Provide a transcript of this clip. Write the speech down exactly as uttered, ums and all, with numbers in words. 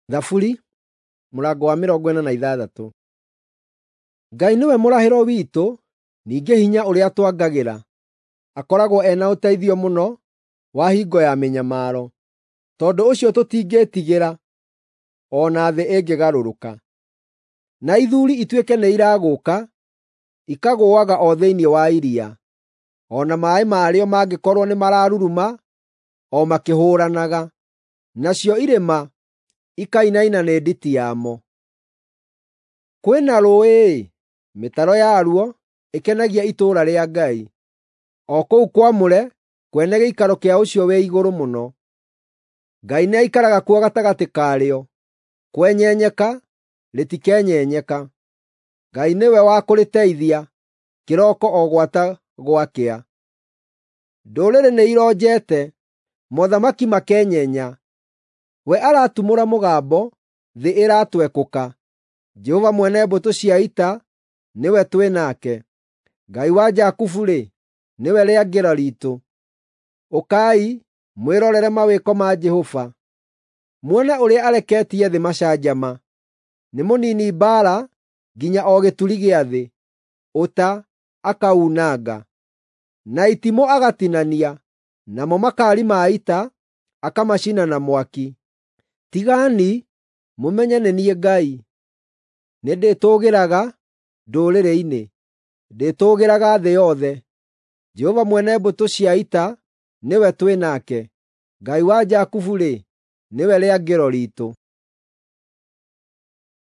Thaburi mũrango wa mĩrongo ĩna na ithathatũ. Ngai nĩwe mũrahĩro witũ, ningĩ hinya ũrĩa twangagĩra. Akoragwo e na ũteithio mũno wa hingo ya mĩnyamaro. Tondũ ũcio tũtingĩĩtigĩra, o na thĩ ĩngĩgarũrũka, na ithuuri ituĩke nĩiragũũka, ikagũũaga o thĩinĩ wa iria, o na maaĩ marĩo mangĩkorwo nĩmararuruma o makĩhũũranaga, nacio irĩma ikainaina nĩ nditi yamo. Kwĩna rũũĩ-ĩ, mĩtaro yaruo ĩkenagia itũũra rĩa Ngai, o kũu kwamũre kwene gĩikaro kĩa Ũcio-wĩ-Igũrũ-Mũno. Ngai nĩaikaraga kuo gatagatĩ karĩo, kwenyenyeka rĩtikenyenyeka. Ngai nĩwe wa kũrĩteithia kĩroko o gwata gwakĩa. Ndũrĩrĩ nĩironjete, mothamaki makenyenya. We aratumũra mũgambo, thĩ ĩratwekũka. Jehova mwene mbũtũ cia ita nĩwe twĩ nake. Ngai wa Jakubu-rĩ, nĩwe rĩangĩro riitũ. Ũkai, mwĩrorere mawĩko ma Jehova, muone ũrĩa areketie thĩ macanjama. Nĩ mũniini mbaara nginya o gĩturi gĩa thĩ, ũta akauunanga, na itimũ agatinania, namo makaari ma ita akamacina na mwaki. Tigani, mũmenye nĩ niĩ Ngai. Nĩndĩtũũgĩraga ndũrĩrĩ-inĩ, ndĩtũũgĩraga thĩ yothe. Jehova mwene mbũtũ cia ita nĩwe twĩ nake. Ngai wa Jakubu-rĩ, nĩwe rĩangĩro riitũ.